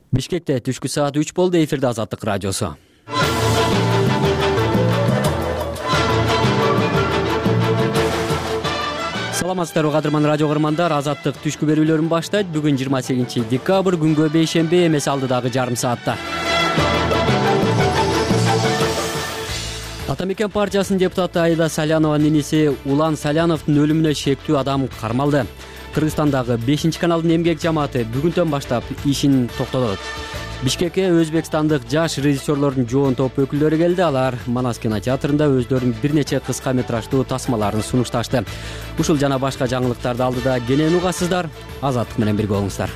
Бишкекте түшкү саат 3 болду. Эфирде Азаттык радиосу. Саламатсыздарбы кадырман радио көрөрмандар. Азаттык түшкү берүүлөрүн баштайт. Бүгүн 28 декабрь, күнгө бейшемби, эмес алдыдагы жарым саатта. Ата Мекен партиясынын депутаты Аида Салянованын иниси Улан Саляновдун өлүмүнө шектүү адам кармалды. Кыргызстандагы 5-каналдын эмгек жамааты бүгүндөн баштап ишин токтотот. Бишкекке өзбекстандык жаш режиссерлордун жоон топ өкүлдөрү келди. Алар Манас кинотеатрында өздөрүнүн бир нече кыска метраждуу тасмаларын сунушташты. Ушул жана башка жаңылыктарды алдыда кенен угасыздар. Азаттык менен бирге болуңуздар.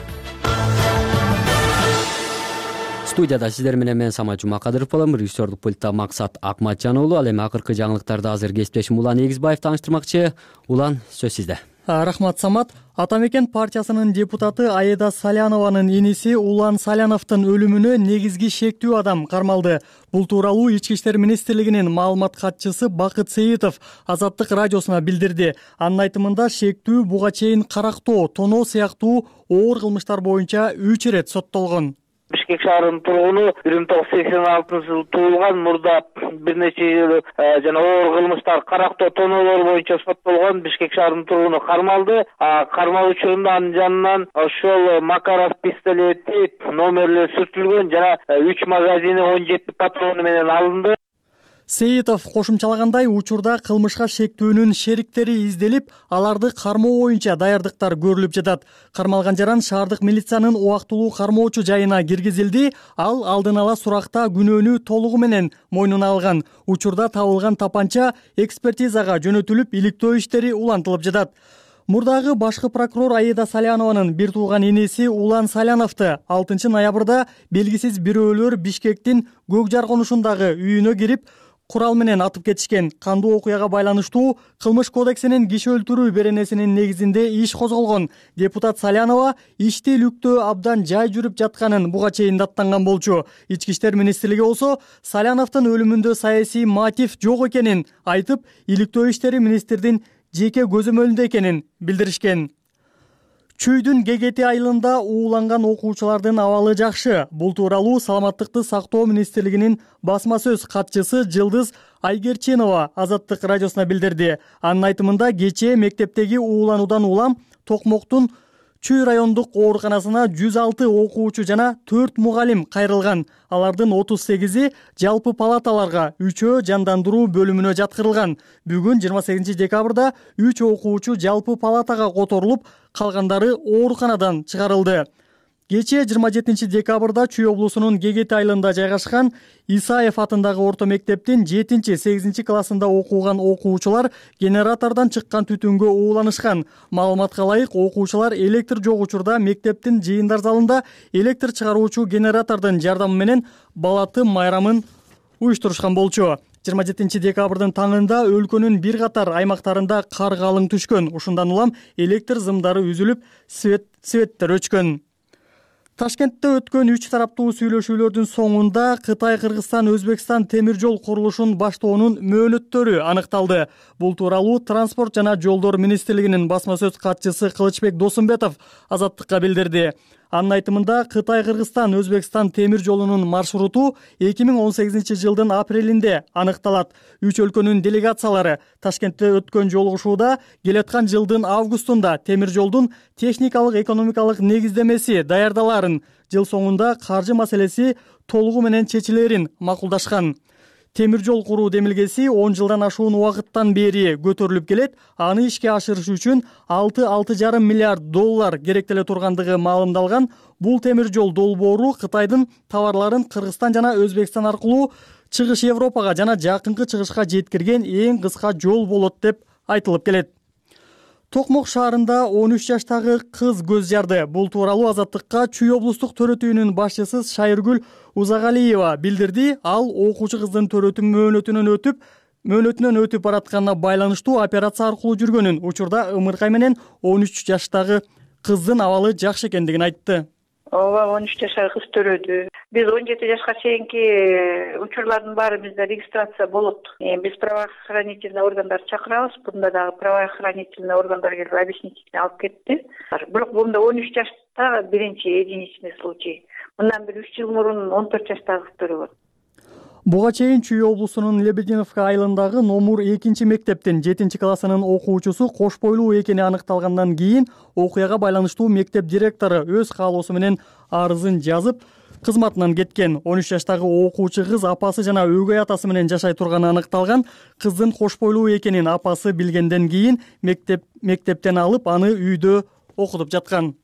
Студияда сиздер менен мен Самат Жумакадыров болом. Режиссердук пультта Максат Акматжан уулу. Ал эми акыркы жаңылыктарды азыр кесиптешим Улан Эгизбаев тааныштырмакчы. Улан, сөз сизде. Рахмат, Самат. Ата Мекен партиясынын депутаты Аида Салянованын иниси Улан Саляновдун өлүмүнө негизги шектүү адам кармалды. Бул тууралуу Ички иштер министрлигинин маалымат катчысы Бакыт Сейитов Азаттык радиосуна билдирди. Анын айтымында шектүү буга чейин карактоо, тоноо сыяктуу оор кылмыштар боюнча 3 ирет соттолгон. Бишкек шаарынын тургуну 1986-жылы туулган, мурда бир нече жыл жана оор кылмыштар, карактоо, тоноолор боюнча соттолгон Бишкек шаарынын тургуну кармалды. Кармалуу учурунда анын жанынан ошол Макаров пистолети номерлери сүртүлгөн жана 3 магазини 17 патрону менен алынды. Сейитов кошумчалагандай, учурда кылмышка шектүүнүн шериктери изделип, аларды кармоо боюнча даярдыктар көрүлүп жатат. Кармалган жаран шаардык милициянын убактылуу кармоочу жайына киргизилди. Ал алдын ала суракта күнөөнү толугу менен мойнуна алган. Учурда табылган тапанча экспертизага жөнөтүлүп, иликтөө иштери улантылып жатат. Мурдагы башкы прокурор Аида Салянованын бир тууган иниси Улан Саляновду 6 ноябрда белгисиз бирөөлөр Бишкектин Көкжар конушундагы үйүнө кирип, курал менен атып кетишкен. Кандуу окуяга байланыштуу Кылмыш кодексинин киши өлтүрүү беренесинин негизинде иш козголгон. Депутат Салянова ишти иликтөө абдан жай жүрүп жатканын буга чейин даттанган болчу. Ички иштер министрлиги болсо Саляновдун өлүмүндө саясий мотив жок экенин айтып, иликтөө иштери министрдин жеке көзөмөлүндө экенин билдиришкен. Чүйдүн Гегети айылында ууланган окуучулардын абалы жакшы. Бул тууралуу Саламаттыкты сактоо министрлигинин басма сөз катчысы Жылдыз Айгерчинова Азаттык радиосуна билдирди. Анын айтымында кечээ мектептеги уулануудан улам Токмоктун Чүй райондук ооруканасына 106 окуучу жана 4 мугалим кайрылган. Алардын 38и жалпы палаталарга, 3-өө жандандыруу бөлүмүнө жаткырылган. Бүгүн 28 декабрда 3 окуучу жалпы палатага которулуп, калгандары ооруканадан чыгарылды. Кечээ 27 декабрда Чүй облусунун Гегети айылында жайгашкан Исаев атындагы орто мектептин 7-8 классында окуган окуучулар генератордон чыккан түтүнгө ууланышкан. Маалыматка ылайык, окуучулар электр жок учурда мектептин жыйындар залында электр чыгаруучу генератордун жардамы менен балаты майрамын уюштурушкан болчу. 27 декабрдын таңында өлкөнүн бир катар аймактарында кар калың түшкөн. Ушундан улам электр зымдары үзүлүп, светтер өчкөн. Ташкентте өткөн 3 тараптуу сүйлөшүүлөрдүн соңунда Кытай, Кыргызстан, Өзбекстан темир жол курулушун баштоонун мөөнөттөрү аныкталды. Бул тууралуу Транспорт жана жолдор министрлигинин басма сөз катчысы Кылычбек Досумбетов Азаттыкка билдирди. Анын айтымында Кытай, Кыргызстан, Өзбекстан темир жолунун маршруту 2018 жылдын апрелинде аныкталат. 3 өлкөнүн делегациялары Ташкентте өткөн жолугушууда келаткан жылдын августунда темир жолдун техникалык экономикалык негиздемеси даярдаларын, жыл соңунда каржы маселеси толугу менен чечилерин макулдашкан. Темир жол куруу демилгеси 10 жылдан ашуун убакыттан бери көтөрүлүп келет. Аны ишке ашырыш үчүн 6,5 миллиард доллар керектеле тургандыгы маалымдалган. Бул темир жол долбоору Кытайдын товарларын Кыргызстан жана Өзбекстан аркылуу чыгыш Европага жана жакынкы чыгышка жеткирген эң кыска жол болот деп айтылып келет. Токмок шаарында 13 жаштагы кыз көз жарды. Бул тууралуу Азаттыкка Чүй облустук төрөтүүнүн башчысы Шайыргүл Узагалиева билдирди. Ал окуучу кыздын төрөтүү мөөнөтүнөн өтүп баратканына байланыштуу операция аркылуу жүргөнүн, учурда ымыркай менен 13 жаштагы кыздын абалы жакшы экендигин айтты. ооба 13 жашар кыз төрөдү. Биз 17 жашка чейинки учурлардын баары бизде регистрация болот. Биз правоохранительный органдар чакырабыз. Бунда дагы правоохранительный органдар келип объяснительный алып кетти. Бирок бунда 13 жашта биринчи единичный случай. Мындан бир 3 жыл мурун 14 жаштагы кыз төрөгөн. Буга чейин Чүй облусунун Лебединовка айылындагы номур 2 мектептин 7 классынын окуучусу кош бойлуу экени аныкталгандан кийин окуяга байланыштуу мектеп директору өз каалоосу менен арызын жазып кызматынан кеткен. 13 жаштагы окуучу кыз апасы жана өгөй атасы менен жашай турганы аныкталган. Кыздын кош бойлуу экенин апасы билгенден кийин мектептен алып аны үйдө окутуп жаткан.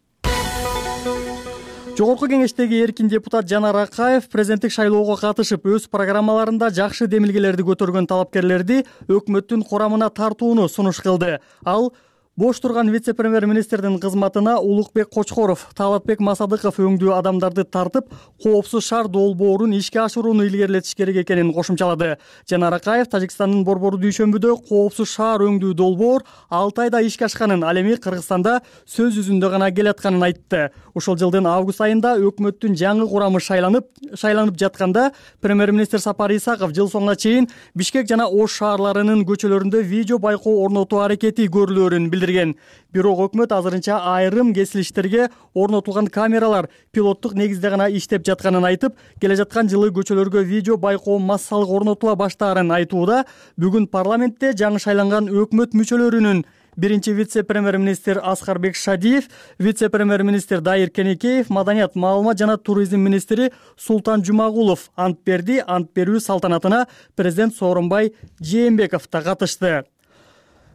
Жогорку кеңештеги эркин депутат Жанар Акаев президенттик шайлоого катышып өз программаларында жакшы демилгелерди көтөргөн талапкерлерди өкмөттүн курамына тартууну сунуш кылды. Ал бош турган вице-премьер-министрдин кызматына Улукбек Кочкоров, Талатбек Масадыков өңдүү адамдарды тартып, коопсуз шаар долбоорун ишке ашырууну илгерилетиш керек экенин кошумчалады. Жанар Акаев Тажикстандын Борбору дүйшөмбүдө коопсуз шаар өңдүү долбоор 6 айда ишке ашканын, ал эми Кыргызстанда сөз жүзүндө гана келатканын айтты. Ушул жылдын август айында өкмөттүн жаңы курамы шайланып жатканда премьер-министр Сапар Исаков жыл соңуна чейин Бишкек жана Ош шаарларынын көчөлөрүндө видео байкоо орнотуу аракети көрүлөөрүн билдирген. Бирок өкмөт азырынча айрым кесилиштерге орнотулган камералар пилоттук негизде гана иштеп жатканын айтып, келе жаткан жылы көчөлөргө видео байкоо массалык орнотула баштаарын айтууда. Бүгүн парламентте жаңы шайланган өкмөт мүчөлөрүнүн биринчи вице-премьер-министр Аскарбек Шадиев, вице-премьер-министр Дайыр Кенекеев, маданият, маалымат жана туризм министри Султан Жумагулов ант берди. Ант берүү салтанатына президент Сооронбай Жээнбеков да катышты.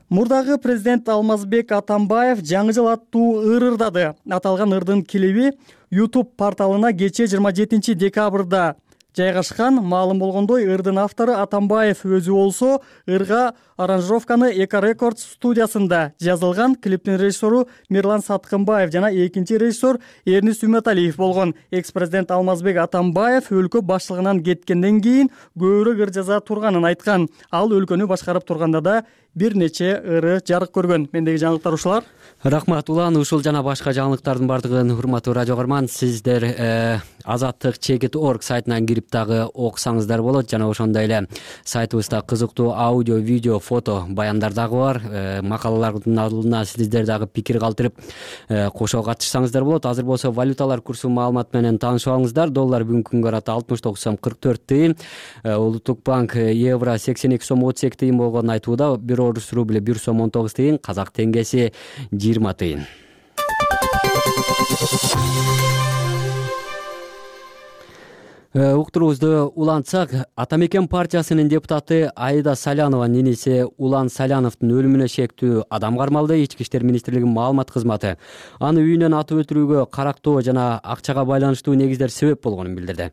Мурдагы президент Алмазбек Атамбаев жаңы жыл аттуу ыр ырдады. Аталган ырдын клиби YouTube порталына кечээ 27 декабрда жайгашкан. Маалым болгондой, ырдын автору Атамбаев өзү болсо, ырга аранжировканы Эко Рекордс студиясында жазылган. Клиптин режиссеру Мирлан Саткынбаев жана экинчи режиссер Эрнис Үмөталиев болгон. Экс-президент Алмазбек Атамбаев өлкө башчылыгынан кеткенден кийин көбүрөөк ыр жаза турганын айткан. Ал өлкөнү башкарып турганда да бир нече ыры жарык көргөн. Мендеги жаңылыктар ушулар. Рахмат Улан. Ушул жана башка жаңылыктардын бардыгын урматтуу радио көрөрман, сиздер Азаттык.org сайтынан кирип дагы окусаңыздар болот. Жана ошондой эле сайтыбызда кызыктуу аудио, видео, фото баяндар дагы бар. Макалалардын алдына сиздер дагы пикир калтырып кошо катышсаңыздар болот. Азыр болсо валюталар курсу маалымат менен таанышып алыңыздар. Доллар бүгүнкү күнгө карата 69 сом 44 тыйын, Улуттук банк евро 82 сом 32 тыйын болгонун айтууда. Бир орус рубли 1 сом 19 тыйын, казак теңгеси 20 тыйын. Уктуруубузду улантсак, Ата мекен партиясынын депутаты Аида Салянованын иниси Улан Саляновдун өлүмүнө шектүү адам кармалды. Ички иштер министрлигинин маалымат кызматы аны үйүнөн атып өлтүрүүгө карактоо жана акчага байланыштуу негиздер себеп болгонун билдирди.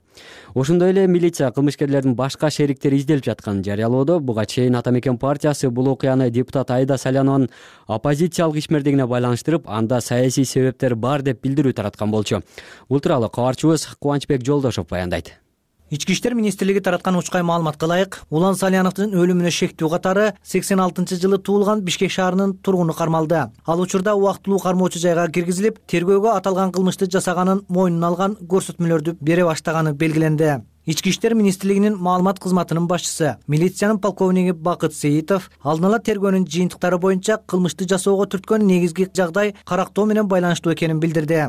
Ошондой эле милиция кылмышкерлердин башка шериктери изделип жатканын жарыялоодо. Буга чейин Ата мекен партиясы бул окуяны депутат Аида Салянованын оппозициялык ишмердигине байланыштырып, анда саясий себептер бар деп билдирүү тараткан болчу. Бул тууралуу кабарчыбыз Кубанычбек Жолдошов баяндайт. Ички иштер министрлиги тараткан учкай маалыматка ылайык, Улан Саляновдун өлүмүнө шектүү катары 86-жылы туулган Бишкек шаарынын тургуну кармалды. Ал учурда убактылуу кармоочу жайга киргизилип, тергөөгө аталган кылмышты жасаганын мойнуна алган көрсөтмөлөрдү бере баштаганы белгиленди. Ички иштер министрлигинин маалымат кызматынын башчысы, милициянын полковниги Бакыт Сейитов алдын ала тергөөнүн жыйынтыктары боюнча кылмышты жасоого түрткөн негизги жагдай карактоо менен байланыштуу экенин билдирди.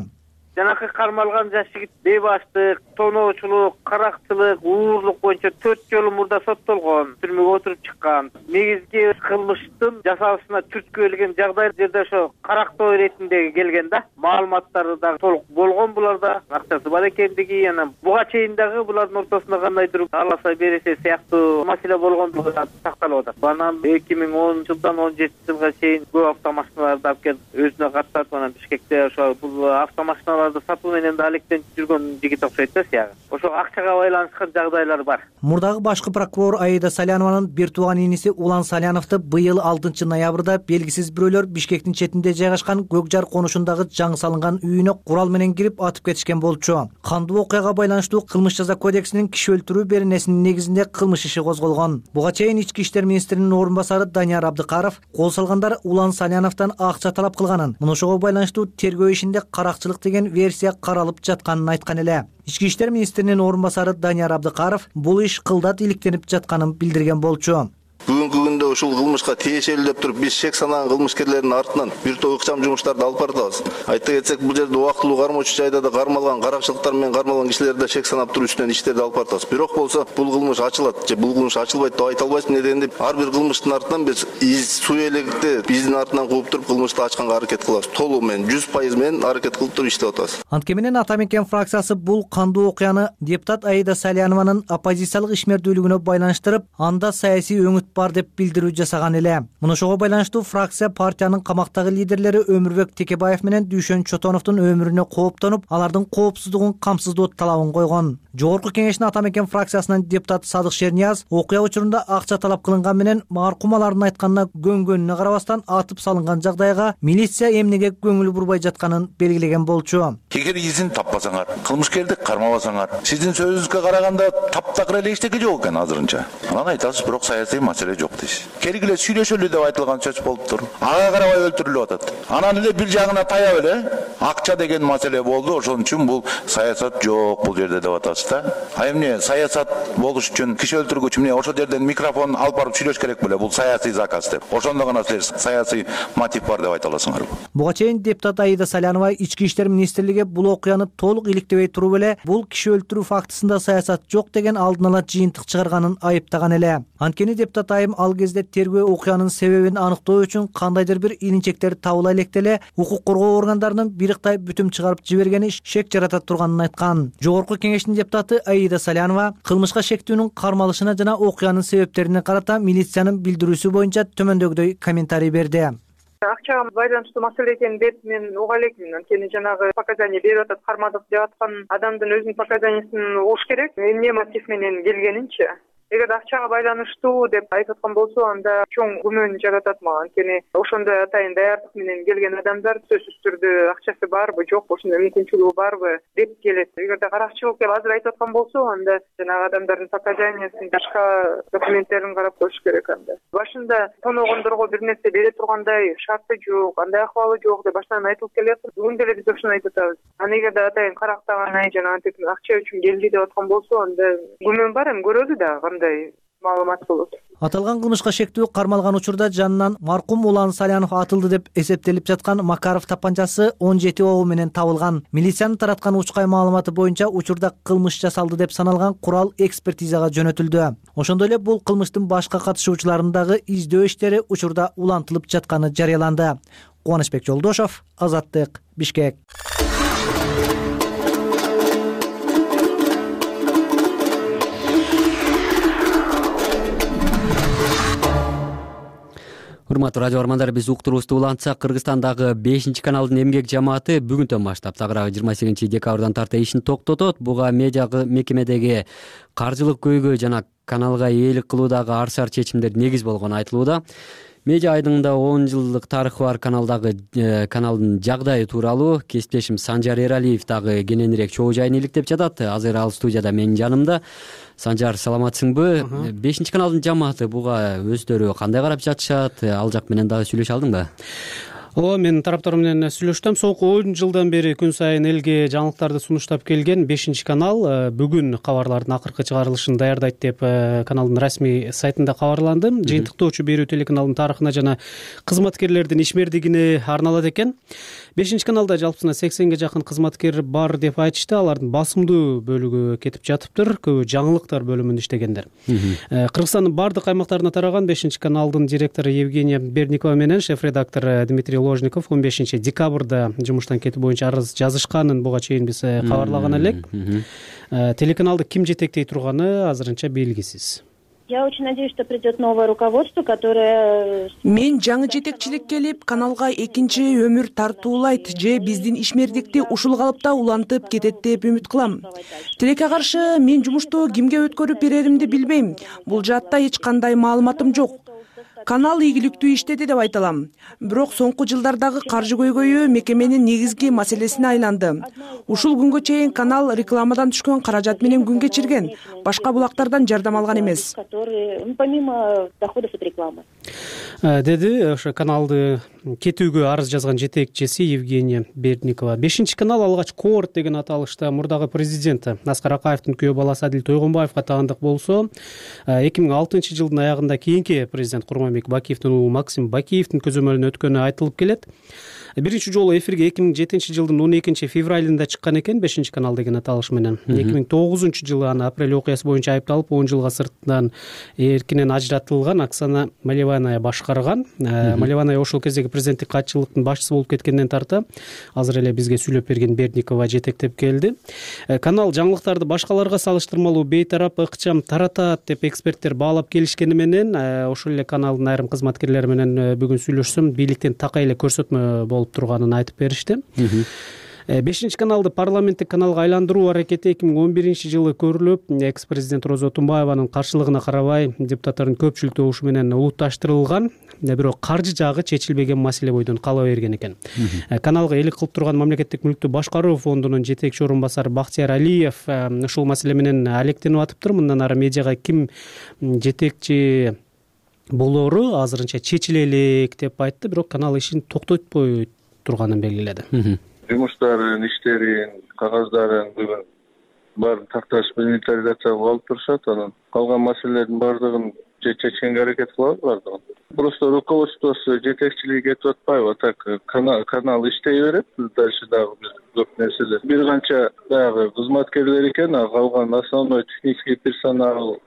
Жанакы кармалган жаш жигит бейбаштык, тоноочулук, каракчылык, уурлук боюнча 4 жолу мурда соттолгон, түрмөгө отуруп чыккан. Негизги кылмыштын жасалышына түрткү келген жагдай жерде ошо карактоо иретинде келген да. Маалыматтары да толук болгон буларда, акчасы бар экендиги, анан буга чейин дагы булардын ортосунда кандайдыр аласа бересе сыяктуу маселе болгондугу такталып атат. Анан 2010 жылдан 17 жылга чейин көп автомашиналарды алып келип өзүнө каттырып, анан Бишкекте ошо бул автомашиналар сатуу менен да алектенип жүргөн жигит окшойт да сыягы. Ошо акчага байланышкан жагдайлар бар. Мурдагы башкы прокурор Аида Салянованын бир тууган иниси Улан Саляновду быйыл 6 ноябрда белгисиз бирөөлөр Бишкектин четинде жайгашкан Көкжар конушундагы жаңы салынган үйүнө курал менен кирип атып кетишкен болчу. Кандуу окуяга байланыштуу кылмыш жаза кодексинин киши өлтүрүү беренесинин негизинде кылмыш иши козголгон. Буга чейин ички иштер министринин орун басары Данияр Абдыкаров кол салгандар Улан Саляновдон акча талап кылганын, мына ошого байланыштуу тергөө ишинде каракчылык деген версия каралып жатканын айткан эле. Ички иштер министринин орун басары Данияр Абдыкаров бул иш кылдат иликтенип жатканын билдирген болчу. Бүгүнкү күндө ушул кылмышка тиешелүү деп туруп биз шек санаган кылмышкерлердин артынан бир топ ыкчам жумуштарды алып баратабыз. Айта кетсек, бул жерде убактылуу кармоочу жайда да кармалган, каракчылыктар менен кармалган кишилерди да шек санап туруп үстүнөн иштерди алып баратабыз. Бирок болсо бул кылмыш ачылат же бул кылмыш ачылбайт деп айта албайбыз. Неден деп ар бир кылмыштын артынан биз суу элегикти биздин артынан кууп туруп кылмышты ачканга аракет кылабыз. Толугу менен 100% менен аракет кылып туруп иштеп атабыз. Антке менен Ата мекен фракциясы бул кандуу окуяны депутат Аида Салянованын оппозициялык ишмердүүлүгүнө байланыштырып, анда саясий өңүт бар деп билдирүү жасаган эле. Муну ошого байланыштуу фракция партиянын камактагы лидерлери Өмүрбек Текебаев менен Дүйшөн Чотоновдун өмүрүнө кооптонуп, алардын коопсуздугун камсыздоо талабын койгон. Жогорку кеңештин Ата мекен фракциясынын депутаты Садык Шернияз окуя учурунда акча талап кылынган менен маркумалардын айтканына көнгөнүнө карабастан атып салынган жагдайга милиция эмнеге көңүл бурбай жатканын белгилеген болчу. Эгер изин таппасаңар, кылмышкерди кармабасаңар, сиздин сөзүңүзгө караганда таптакыр эле эчтеке жок экен азырынча. Анан айтасыз, бирок саясий маселе жок дейсиз. Келгиле сүйлөшөлү деп айтылган сөз болуптур. Ага карабай өлтүрүлүп атат. Анан эле бир жагына таяп эле акча деген маселе болду. Ошон үчүн бул саясат жок бул жерде деп атасыз да. А эмне саясат болуш үчүн киши өлтүргүч эмне ошол жерден микрофон алып барып сүйлөш керек беле? Бул саясий заказ деп. Ошондо гана силер саясий мотив бар деп айта аласыңар. Буга чейин депутат Аида Салянова Ички иштер министрлиги бул окуяны толук иликтебей туруп эле бул киши өлтүрүү фактысында саясат жок деген алдын ала жыйынтык чыгарганын айыптаган эле. Анткени депутат айым ал кезде тергөө окуянын себебин аныктоо үчүн кандайдыр бир илинчектер табыла электе укук коргоо органдарынын бириктай бүтүм чыгарып жибергени шек жарата турганын айткан. Жогорку кеңештин депутаты Аида Салянова кылмышка шектүүнүн кармалышына жана окуянын себептерине карата милициянын билдирүүсү боюнча төмөндөгүдөй комментарий берди. Акчага байланыштуу маселе экенин деп мен уга элекмин. Анткени жанагы показания берип атат, кармадык деп аткан адамдын өзүнүн показаниясын угуш керек. Эмне мотив менен келгенинчи. Эгер акчага байланыштуу деп айтып аткан болсо, анда чоң күмөн жаратат мага. Анткени ошондой атайын даярдык менен келген адамдар сөзсүз түрдө акчасы барбы, жокпу, ошондой мүмкүнчүлүгү барбы деп келет. Эгерде каракчылык деп азыр айтып аткан болсо, анда жанагы адамдардын показаниясын, башка документтерин карап коюш керек анда. Башында тоногондорго бир нерсе бере тургандай шарты жок, андай акыбалы жок деп башынан айтылып келет. Бүгүн деле биз ошону айтып атабыз. Аны эгерде атайын карактаган жана антип акча үчүн келди деп аткан болсо, анда күмөн бар, эми көрөлү да маалымат болот. Аталган кылмышка шектүү кармалган учурда жанынан маркум Улан Салянов атылды деп эсептелип жаткан Макаров тапанчасы 17 огу менен табылган. Милициянын тараткан учкай маалыматы боюнча учурда кылмыш жасалды деп саналган курал экспертизага жөнөтүлдү. Ошондой эле бул кылмыштын башка катышуучуларынын дагы издөө иштери учурда улантылып жатканы жарыяланды. Кубанычбек Жолдошов, Азаттык, Бишкек. Урматтуу радио армандар, биз уктуруубузду улантсак, Кыргызстандагы 5-каналдын эмгек жамааты бүгүнтөн баштап тагыраагы 28 декабрдан тарта ишин токтотот. Буга медиа мекемедеги каржылык көйгөй жана каналга ээлик кылуудагы арсар чечимдер негиз болгону айтылууда. Медиа айдыңында 10 жылдык тарыхы бар каналдын жагдайы тууралуу кесиптешим Санжар Эралиев дагы кененирээк чогуу жайын иликтеп жатат. Азыр ал студияда менин жанымда. Санжар, саламатсыңбы? 5-каналдын жамааты буга өздөрү кандай карап жатышат? Ал жак менен дагы сүйлөшө алдыңбы? Ооба, мен тараптар менен сүйлөштүм. Соңку 10 жылдан бери күн сайын элге жаңылыктарды сунуштап келген 5-канал бүгүн кабарлардын акыркы чыгарылышын даярдайт деп каналдын расмий сайтында кабарланды. Жыйынтыктоочу берүү телеканалдын тарыхына жана кызматкерлердин ишмердигине арналат экен. 5-каналда жалпысына 80ге жакын кызматкер бар деп айтышты. Алардын басымдуу бөлүгү кетип жатыптыр. Көбү жаңылыктар бөлүмүндө иштегендер. Кыргызстандын бардык аймактарына тараган 5-каналдын директору Евгения Берникова менен шеф-редактор Дмитрий Ложников 15 декабрда жумуштан кетүү боюнча арыз жазышканын буга чейин биз кабарлаган элек. Телеканалды ким жетектей турганы азырынча белгисиз. Я очень надеюсь, что придет новое руководство, которое... Мен жаңы жетекчилик келип, каналга экинчи өмүр тартуулайт же биздин ишмердикти ушул калыпта улантып кетет деп үмүт кылам. Тилекке каршы мен жумушту кимге өткөрүп береримди билбейм. Бул жаатта эч кандай маалыматым жок. канал ийгиликтүү иштеди деп айта алам. Бирок соңку жылдардагы каржы көйгөйү мекеменин негизги маселесине айланды. Ушул күнгө чейин канал рекламадан түшкөн каражат менен күн кечирген, башка булактардан жардам алган эмес. Помимо доходов от рекламы. Деди ошо каналды кетүүгө арыз жазган жетекчиси Евгения Бердникова. 5-канал алгач Коорт деген аталышта мурдагы президенти Аскар Акаевдин күйөө баласы Адил Тойгонбаевга таандык болсо, 2006 жылдын аягында кийинки президент Курманбек Бакиевдин уулу Максим Бакиевдин көзөмөлүнө өткөнү айтылып келет. Биринчи жолу эфирге 2007 жылдын 12 февралында чыккан экен 5-канал деген аталыш менен. 2009 жылы аны апрель окуясы боюнча айыпталып 10 жылга сырттан эркинен ажыратылган Оксана Малеваная башкарган. Малеваная ошол кездеги президенттик катчылыктын башчысы болуп кеткенден тарта азыр эле бизге сүйлөп берген Бердникова жетектеп келди. Канал жаңылыктарды башкаларга салыштырмалуу бейтарап, ыкчам таратат деп эксперттер баалап келишкени менен ошол эле каналдын айрым кызматкерлери менен бүгүн сүйлөшсөм, бийликтен такай эле көрсөтмө болуп турганын айтып беришти. 5-каналды парламенттик каналга айландыруу аракети 2011 жылы көрүлүп, экс-президент Роза Отунбаеванын каршылыгына карабай депутаттардын көпчүлүк добушу менен улутташтырылган, бирок каржы жагы чечилбеген маселе бойдон кала берген экен. Каналга элик кылып турган Мамлекеттик мүлктү башкаруу фондунун жетекчи орун басары Бактияр Алиев ушул маселе менен алектенип атыптыр. Мындан ары медиага ким жетекчи болору азырынча чечиле элек деп айтты, бирок канал ишин токтотпой турганын белгиледи. Жумуштарын, иштерин, кагаздарын бүгүн баарын такташып инвентаризацияга алып турушат. Анан калган маселелердин баардыгын чечкенге аракет кылабыз баардыгын. Просто руководствосу жетекчилиги этип атпайбы, так канал иштей берет. Дальше дагы биз көп нерселер. Бир канча дагы кызматкерлер экен, калган основной технический персонал,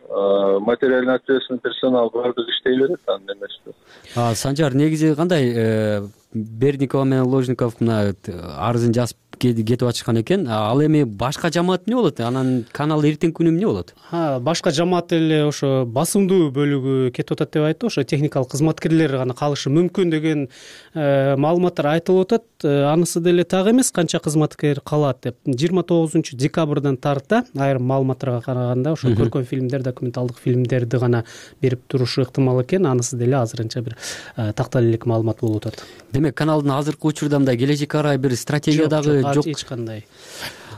материальный ответственный персонал баардыгы иштей берет анын эмеси. Санжар, негизи кандай Бердникова менен Ложников мына арызын жазып кетип атышкан экен. Ал эми башка жамаат эмне болот? Анан канал эртеңки күнү эмне болот? Башка жамаат эле ошо басымдуу бөлүгү кетип атат деп айтты. Ошо техникалык кызматкерлер гана калышы мүмкүн деген маалыматтар айтылып атат. Анысы деле так эмес, канча кызматкер калат деп. 29 декабрдан тарта айрым маалыматтарга караганда ошо көркөм фильмдер, документалдык фильмдерди гана берип турушу ыктымал экен. Анысы деле азырынча бир такталып элек маалымат болуп атат. Демек, каналдын азыркы учурда мындай келечекке карай бир стратегиядагы жок эч кандай.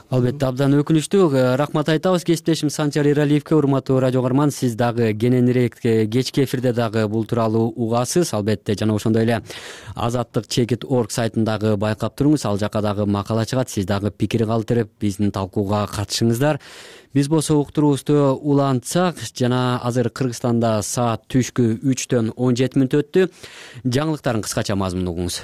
Албетте, абдан өкүнүчтүү. Рахмат айтабыз кесиптешим Санжар Эралиевке. Урматтуу радио көрөрман, сиз дагы кененирээк кечки эфирде дагы бул тууралуу угасыз. Албетте, жана ошондой эле azatlyk.org сайтындагы байкап туруңуз. Ал жака дагы макала чыгат. Сиз дагы пикир калтырып, биздин талкууга катышыңыздар. Биз болсо уктуруубузду улантсак, жана азыр Кыргызстанда саат түшкү 3-төн 17 мүнөт өттү. Жаңылыктардын кыскача мазмунун угуңуз.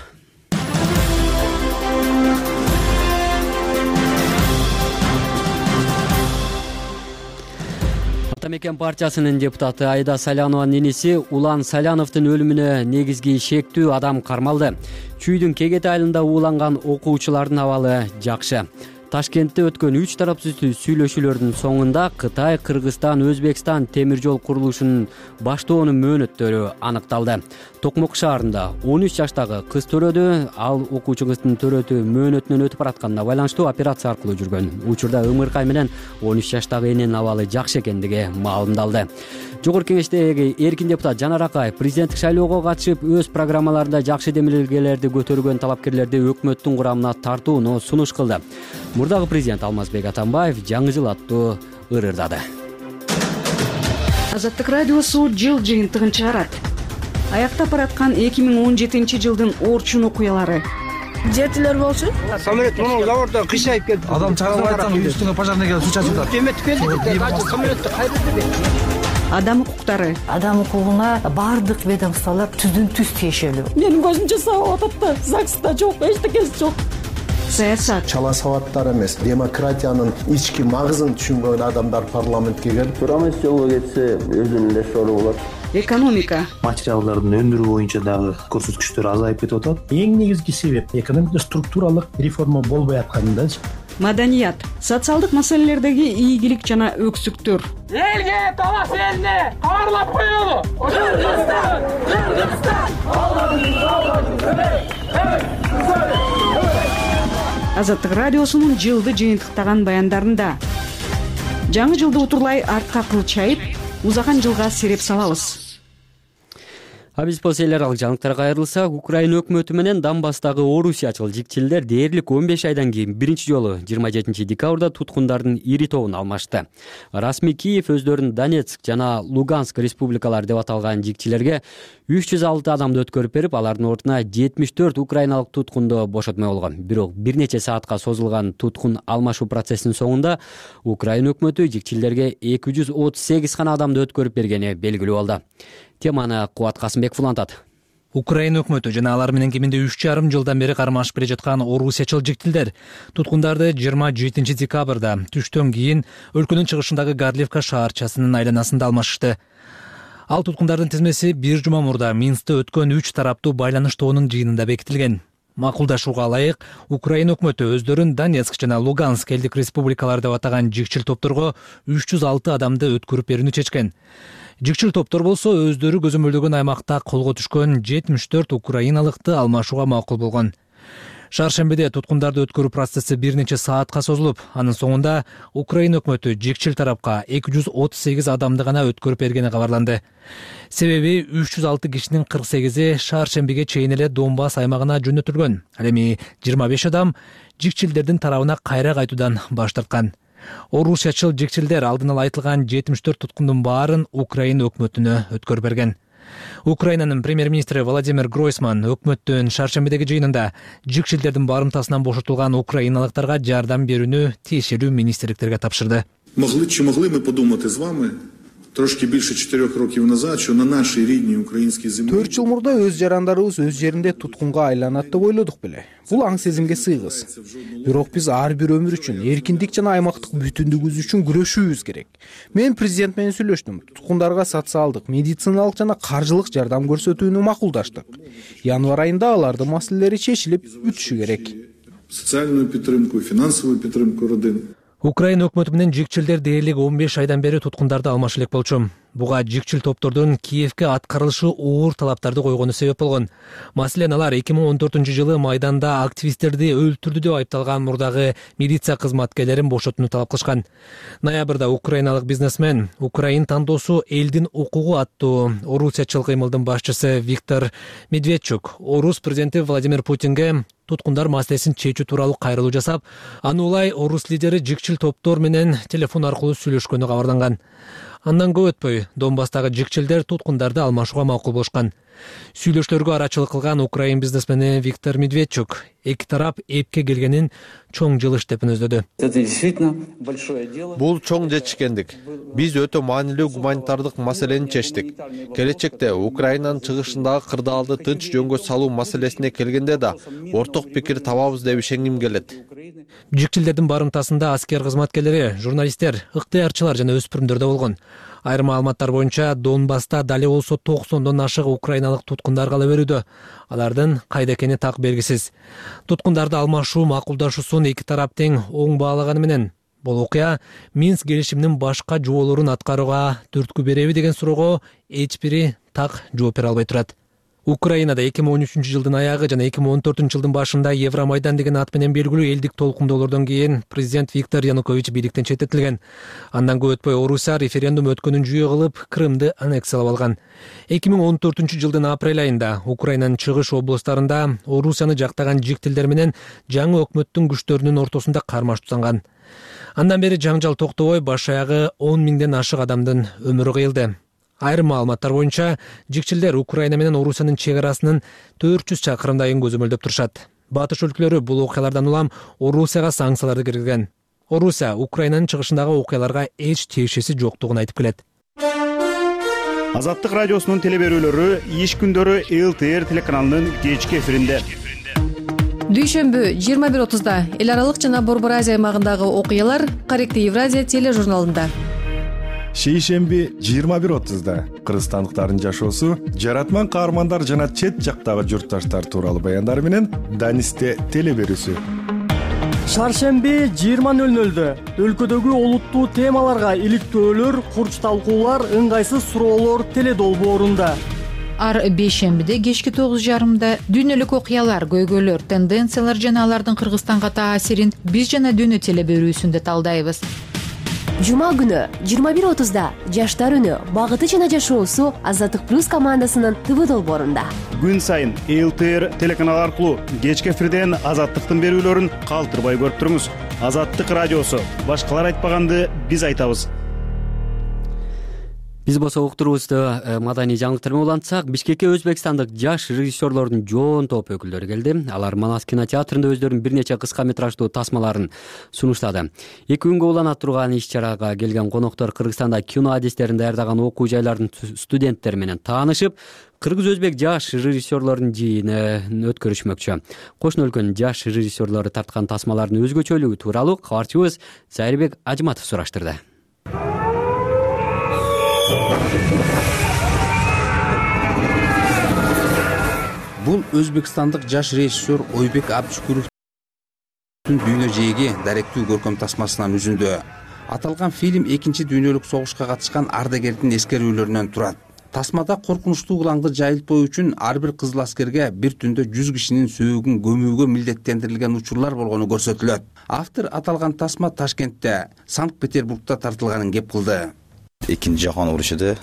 Атамекен партиясынын депутаты Айда Салянованын иниси Улан Саляновдун өлүмүнө негизги шектүү адам кармалды. Чүйдүн Кегет айылында ууланган окуучулардын абалы жакшы. Ташкентте өткөн 3 тарапсыз сүйлөшүүлөрдүн соңунда Кытай, Кыргызстан, Өзбекстан темир жол курулушунун баштоонун мөөнөттөрү аныкталды. Токмок шаарында 13 жаштагы кыз төрөдү. Ал окуучу кыздын төрөтү мөөнөтүнөн өтүп баратканына байланыштуу операция аркылуу жүргөн. Учурда ыңыркай менен 13 жаштагы эненин абалы жакшы экендиги маалымдалды. Жогорку Кеңештеги эркин депутат Жанар Акаев президенттик шайлоого катышып, өз программаларында жакшы демилгелерди көтөргөн талапкерлерди өкмөттүн курамына тартууну сунуш кылды. Мурдагы президент Алмазбек Атамбаев жаңы жыл аттуу ырырдады. Азаттык радиосу жыл жыйынтыгын чыгарат. Аяктап бараткан 2017 жылдын орчун окуялары. Жертөлөр болчу. Самолет мына заводдон кыйшайып келди. Адам чыгарып айтсаң үстүңө пожарный келип суу чачып атат. Эметип келди. Самолетти кайдырды. Адам укуктары. Адам укугуна бардык ведомстволор түздөн-түз тиешелүү. Менин көзүмчө сабап атат да, ЗАГСта жок, эчтекеси жок. Саясат. Чала сабаттар эмес, демократиянын ички магызын түшүнбөгөн адамдар парламентке келип, турамыз жолго кетсе өзүнүн эле сору болот. Экономика. Материалдардын өндүрүү боюнча дагы көрсөткүчтөр азайып кетип атат. Эң негизги себеп экономикада структуралык реформа болбой аткандачы. Маданият. Социалдык маселелердеги ийгилик жана өксүктөр. Элге талаш элине кабарлап коелу. Кыргызстан, Азаттык радиосунун жылды жыйынтыктаган баяндарында жаңы жылды утурлай артка кылчайып, узаган жылга сереп салабыз. А биз болсо эл аралык жаңылыктарга кайрылсак, Украина өкмөтү менен Донбасстагы орусиячыл жигчилдер дээрлик 15 айдан кийин биринчи жолу 27 декабрда туткундардын ири тобун алмашты. Расмий Киев өздөрүн Донецк жана Луганск республикалары деп аталган жигчилерге 306 адамды өткөрүп берип, алардын ордуна 74 украиналык туткунду бошотмой болгон. Бирок бир нече саатка созулган туткун алмашуу процессинин соңунда Украина өкмөтү жигчилерге 238 гана адамды өткөрүп бергени белгилүү болду. Теманы Кубат Касымбеков улантат. Украина өкмөтү жана алар менен кеминде 3,5 жылдан бери кармашып келе жаткан орусиячыл жигчилдер туткундарды 27 декабрда түштөн кийин өлкөнүн чыгышындагы Горлевка шаарчасынын айланасында алмашышты. Ал туткундардын тизмеси бир жума мурда Минскте өткөн 3 тараптуу байланыш тобунун жыйынында бекитилген. Макулдашууга ылайык, Украина өкмөтү өздөрүн Донецк жана Луганск элдик республикалары деп атаган жигчил топторго 306 адамды өткөрүп берүүнү чечкен. Жигчил топтор болсо өздөрү көзөмөлдөгөн аймакта колго түшкөн 74 украиналыкты алмашууга макул болгон. Шаршембиде туткундарды өткөрүү процесси бир нече саатка созулуп, анын соңунда Украина өкмөтү жигчил тарапка 238 адамды гана өткөрүп бергени кабарланды. Себеби 306 кишинин 48-и шаршембиге чейин эле Донбасс аймагына жөнөтүлгөн. Ал эми 25 адам жигчилдердин тарабына кайра кайтуудан баш тарткан. Орусиячыл жигчилдер алдын ала айтылган 74 туткундун баарын Украина өкмөтүнө өткөрүп берген. Украинанын премьер-министри Владимир Гройсман өкмөттүн шаршембидеги жыйынында жигчилдердин барымтасынан бошотулган украиналыктарга жардам берүүнү тиешелүү министрликтерге тапшырды. Могли мы подумати з вами трошки більше 4 років назад, що на нашій рідній українській землі 4 жыл мурда өз жарандарыбыз өз жеринде туткунга айланат деп ойлодук беле. Бул аң сезимге сыйгыз. Бирок биз ар бир өмүр үчүн, эркиндик жана аймактык бүтүндүгүбүз үчүн күрөшүүбүз керек. Мен президент менен сүйлөштүм. Туткундарга социалдык, медициналык жана каржылык жардам көрсөтүүнү макулдаштык. Январь айында алардын маселелери чечилип бүтүшү керек. Социальную підтримку, финансовую підтримку родин. Украина өкмөтү менен жигчилдер дээрлик 15 айдан бери туткундарды алмашы элек болчу. Буга жигчил топтордун Киевке аткарылышы оор талаптарды койгону себеп болгон. Маселен, алар 2014-жылы Майданда активисттерди өлтүрдү деп айыпталган мурдагы милиция кызматкерлерин бошотууну талап кылышкан. Ноябрда украиналык бизнесмен Украин тандоосу элдин укугу аттуу орусиячыл кыймылдын башчысы Виктор Медведчук орус президенти Владимир Путинге туткундар маселесин чечүү тууралуу кайрылуу жасап, аны улай орус лидери жигчил топтор менен телефон аркылуу сүйлөшкөнү кабарланган. Андан көп өтпөй Донбасстагы жигчилдер туткундарды алмашууга макул болушкан. Сүйлөшүүлөргө арачылык кылган украин бизнесмени Виктор Медведчук эки тарап эпке келгенин чоң жылыш деп өнөздөдү. Бул чоң жетишкендик. Биз өтө маанилүү гуманитардык маселени чечтик. Келечекте Украинанын чыгышындагы кырдаалды тынч жөнгө салуу маселесине келгенде да орток пикир табабыз деп ишенгим келет. Жигчилдердин барымтасында аскер кызматкерлери, журналисттер, ыктыярчылар жана өспүрүмдөр да болгон. Айрым маалыматтар боюнча Донбасста дали болсо 90дон ашык украиналык туткундар кала берүүдө. Алардын кайда экени так белгисиз. Туткундарды алмашуу макулдашуусун эки тарап тең оң баалаганы менен бул окуя Минск келишиминин башка жоболорун аткарууга түрткү береби деген суроого эч бири так жооп бере албай турат. Украинада 2013-жылдын аягы жана 2014-жылдын башында Евромайдан деген ат менен белгилүү элдик толкундоолордон кийин президент Виктор Янукович бийликтен четтетилген. Андан көп өтпөй Орусия референдум өткөнүн жүйө кылып Крымды аннексиялап алган. 2014-жылдын апрель айында Украинанын чыгыш облустарында Орусияны жактаган жигтилдер менен жаңы өкмөттүн күчтөрүнүн ортосунда кармаш тутанган. Андан бери жаңжал токтобой баш аягы 10 миңден ашык адамдын өмүрү кыйылды. Айрым маалыматтар боюнча жигчилдер Украина менен Орусиянын чек арасынын 400 чакырымдайын көзөмөлдөп турушат. Батыш өлкөлөрү бул окуялардан улам Орусияга санкцияларды киргизген. Орусия Украинанын чыгышындагы окуяларга эч тиешеси жоктугун айтып келет. Азаттык радиосунун телеберүүлөрү иш күндөрү ЛТР телеканалынын кечки эфиринде. Дүйшөмбү 21:30-да эл аралык жана Борбор Азия аймагындагы окуялар Корректив Евразия тележурналында. Шейшемби 21:30-да кыргызстандыктардын жашоосу, жаратман каармандар жана чет жактагы журтташтар тууралуу баяндар менен Данисте телеберүүсү. Шаршемби 20:00-дө өлкөдөгү олуттуу темаларга иликтөөлөр, курч талкуулар, ыңгайсыз суроолор теледолбоорунда. Ар бейшембиде кечки 9:30-да дүйнөлүк окуялар, көйгөйлөр, тенденциялар жана алардын Кыргызстанга таасирин биз жана дүйнө телеберүүсүндө талдайбыз. Жума күнү 21:30 Жаштар үнү багыты жана жашоосу Азаттык плюс командасынын ТВ долбоорунда. Күн сайын ЛТР телеканалы аркылуу кечки эфирден Азаттыктын берүүлөрүн калтырбай көрүп туруңуз. Азаттык радиосу. Башкалар айтпаганды биз айтабыз. Биз болсо уктуруубузду маданий жаңылыктар менен улантсак, Бишкекке өзбекстандык жаш режиссерлордун жоон топ өкүлдөрү келди. Алар Манас кинотеатрында өздөрүнүн бир нече кыска метраждуу тасмаларын сунуштады. 2 күнгө улана турган иш-чарага келген коноктор Кыргызстанда кино адистерин даярдаган окуу жайлардын студенттери менен таанышып, кыргыз-өзбек жаш режиссерлордун жыйынын өткөрүшмөкчү. Кошуна өлкөнүн жаш режиссерлору тарткан тасмалардын өзгөчөлүгү тууралуу кабарчыбыз Зайырбек Ажматов сураштырды. Бул өзбекстандык жаш режиссер Ойбек Абдышкуровдун дүйнө жээги даректүү көркөм тасмасынан үзүндү. Аталган фильм 2 дүйнөлүк согушка катышкан ардагердин эскерүүлөрүнөн турат. Тасмада коркунучтуу улаңды жайылтпоо үчүн ар бир кызыл аскерге бир түндө 100 кишинин сөөгүн көмүүгө милдеттендирилген учурлар болгону көрсөтүлөт. Автор аталган тасма Ташкентте, Санкт-Петербургда тартылганын кеп кылды. Экинчи жаһан урушууда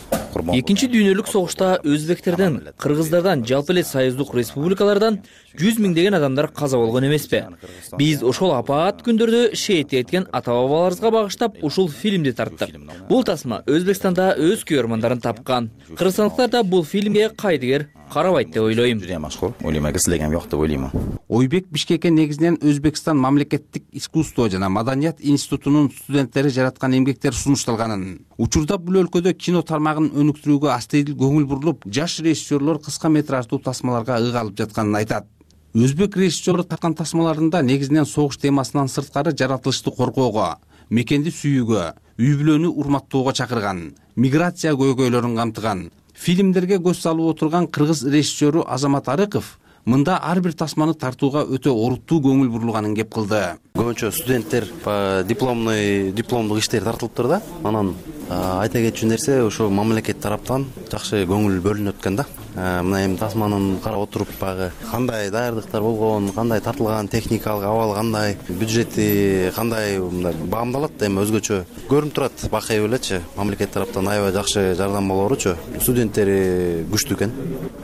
Экинчи дүйнөлүк согушта өзбектерден, кыргыздардан, жалпы эле союздук республикалардан 100 миңдеген адамдар каза болгон эмеспи? Биз ошол апаат күндөрдө шейит эткен ата-бабаларыбызга багыштап ушул фильмди тарттык. Бул тасма Өзбекстанда өз көрөрмандарын тапкан. Кыргызстандыктар да бул фильмге кайдыгер карабайт деп ойлойм. Ойбек Бишкекке негизинен Өзбекстан мамлекеттик искусство жана маданият институтунун студенттери жараткан эмгектер сунушталганын. Учурда бул өлкөдө кино тармагын өнүктүрүүгө астыйдыл көңүл бурулуп, жаш режиссерлор кыска метраждуу тасмаларга ыйгалып жатканын айтат. Өзбек режиссерлору тарткан тасмаларында негизинен согуш темасынан сырткары жаратылышты коргоого, мекенди сүйүүгө, үй бүлөнү урматтоого чакырган, миграция көйгөйлөрүн камтыган. Фильмдерге көз салып отурган кыргыз режиссеру Азамат Арыков мында ар бир тасманы тартууга өтө оруттуу көңүл бурулганын кеп кылды. Көбүнчө студенттер дипломдук иштер тартылыптыр да. Анан айта кетчү нерсе ошо мамлекет тараптан жакшы көңүл бөлүнүп өткөн да. Мына эми тасманын карап отуруп багы кандай даярдыктар болгон, кандай тартылган, техникалык абалы кандай, бюджети кандай баамдалат, эми өзгөчө көрүнүп турат. Бакай элечи мамлекет тараптан аябай жакшы жардам болоручу. Студенттери күчтүү экен.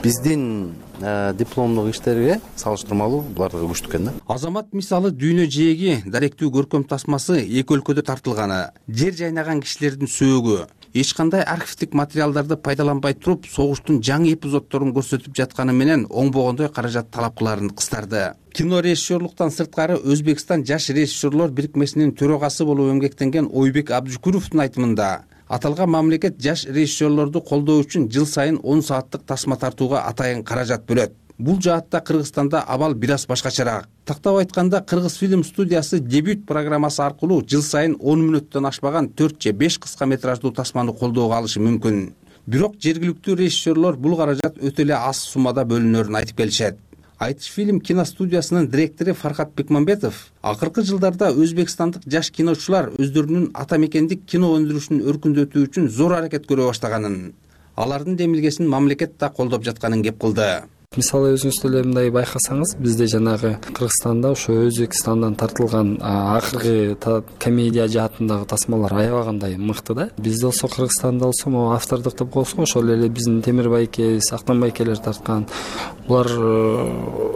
Биздин дипломдук иштерге салыштырмалуу булардыгы күчтүү экен да. Азамат мисалы дүйнө жээги даректүү көркөм тасмасы эки өлкөдө тартылганы, жер жайнаган кишилердин сөөгү, эч кандай архивдик материалдарды пайдаланбай туруп согуштун жаңы эпизоддорун көрсөтүп жатканы менен оңбогондой каражат талап кыларын кыстарды. Кино режиссерлуктан сырткары Өзбекстан жаш режиссерлор бирикмесинин төрагасы болуп эмгектенген Ойбек Абдышкуровдун айтымында аталган мамлекет жаш режиссерлорду колдоо үчүн жыл сайын 10 сааттык тасма тартууга атайын каражат бөлөт. Бул жаатта Кыргызстанда абал бир аз башкачараак. Тактап айтканда, Кыргыз фильм студиясы дебют программасы аркылуу жыл сайын 10 мүнөттөн ашпаган 4 же 5 кыска метраждуу тасманы колдоого алышы мүмкүн. Бирок жергиликтүү режиссерлор бул каражат өтө эле аз суммада бөлүнөрүн айтып келишет. Айтыш фильм киностудиясынын директору Фархат Бекмамбетов акыркы жылдарда өзбекстандык жаш киночулар өздөрүнүн ата мекендик кино өндүрүшүн өркүндөтүү үчүн зор аракет көрө баштаганын, алардын демилгесин мамлекет да колдоп жатканын кеп кылды. Мисалы өзүңүз деле мындай байкасаңыз, бизде жанагы Кыргызстанда ошо Өзбекстандан тартылган акыркы комедия жаатындагы тасмалар аябагандай мыкты да. Бизде болсо Кыргызстанда болсо могу автордук деп коебузго, ошол эле биздин Темир байке, Сактан байкелер тарткан. Булар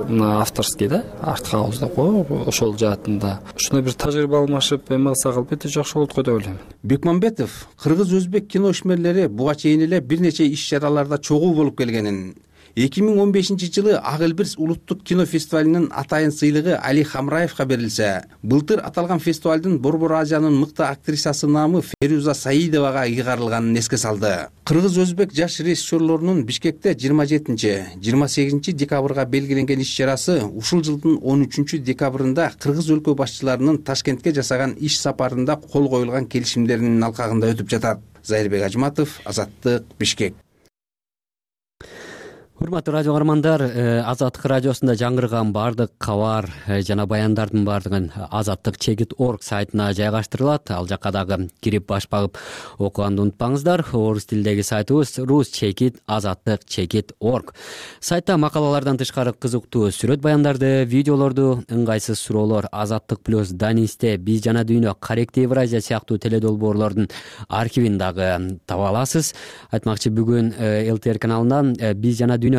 мына авторский да, артхаус деп коебу, ошол жаатында. Ушуна бир тажрыйба алмашып, эме кылсак албетте жакшы болот го деп ойлойм. Бекмамбетов кыргыз-өзбек кино ишмерлери буга чейин эле бир нече иш-чараларда чогуу болуп келгенин, 2015-жылы Ак Элбирс улуттук кино фестивалынын атайын сыйлыгы Али Хамраевга берилсе, былтыр аталган фестивалдын Борбор Азиянын мыкты актрисасы наамы Феруза Саидовага ыйгарылганын эске салды. Кыргыз-өзбек жаш режиссерлорунун Бишкекте 27-28 декабрга белгиленген иш-чарасы ушул жылдын 13 декабрында кыргыз өлкө башчыларынын Ташкентке жасаган иш сапарында кол коюлган келишимдеринин алкагында өтүп жатат. Зайырбек Ажматов, Азаттык, Бишкек. урматтуу радио каармандар, Азаттык радиосунда жаңырган баардык кабар жана баяндардын баардыгын azattik.org сайтына жайгаштырылат. Ал жакка дагы кирип баш багып окуганды унутпаңыздар. Орус тилдеги сайтыбыз rus.azattik.org. Сайтта макалалардан тышкары кызыктуу сүрөт баяндарды, видеолорду, ыңгайсыз суроолор, Азаттык плюс, Данисте, Биз жана дүйнө, Корректив Евразия сыяктуу теледолбоорлордун архивин дагы таба аласыз. Айтмакчы, бүгүн ЛТР каналынан Биз жана дүйнө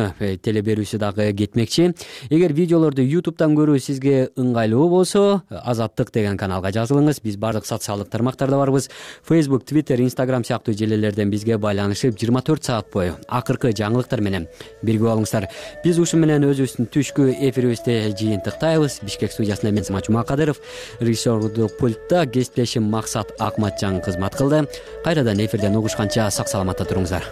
теле берүүсү дагы кетмекчи. Эгер видеолорду YouTube'дан көрүү сизге ыңгайлуу болсо, Азаттык деген каналга жазылыңыз. Биз бардык социалдык тармактарда барбыз. Facebook, Twitter, Instagram сыяктуу желелерден бизге байланышып 24 саат бою акыркы жаңылыктар менен бирге болуңуздар. Биз ушу менен өзүбүздүн түшкү эфирибизди жыйынтыктайбыз. Бишкек студиясында мен Самат Жумакадыров, режиссерлук пультта кесиптешим Максат Акматжан кызмат кылды. Кайрадан эфирден угушканча сак саламатта туруңуздар.